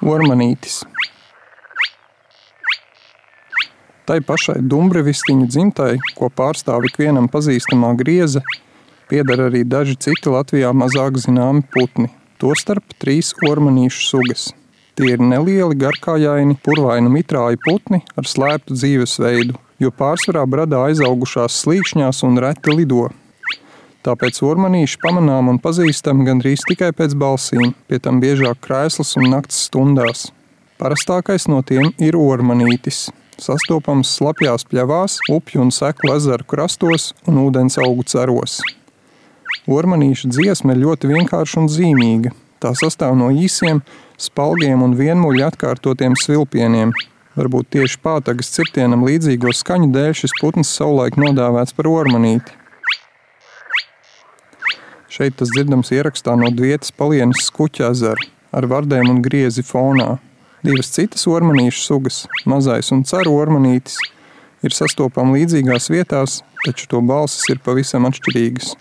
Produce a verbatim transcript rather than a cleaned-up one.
Ormanītis. Tai pašai dumbrevistiņu dzimtai, ko pārstāv ikvienam pazīstamā grieze, pieder arī daži citi Latvijā mazāk zināmi putni, tostarp trīs ormanīšu sugas. Tie ir nelieli, garkājaini, purvainu mitrāju putni ar slēptu dzīvesveidu, jo pārsvarā bradā aizaugušās slīkšņās un reti lido. Tāpēc ormanīši pamanām un pazīstam gandrīz tikai pēc balsīm, pie tam biežāk krēslas un nakts stundās. Parastākais no tiem ir ormanītis, sastopams slapjās pļavās, upju un seklu ezeru krastos un ūdens augu ceros. Ormanīša dziesma ir ļoti vienkārša un zīmīga. Tā sastāv no īsiem, spalgiem un vienmuļi atkārtotiem svilpieniem. Varbūt tieši pātagas cirtienam līdzīgo skaņu dēļ šis putns savulaik nodāvēts par ormanīti. Šeit tas dzirdams ierakstā no Dvietas palienes Skuķa ezera ar vardēm un griezi fonā. Divas citas ormanīšu sugas, mazais un ceru ormanītis, ir sastopami līdzīgās vietās, taču to balsis ir pavisam atšķirīgas.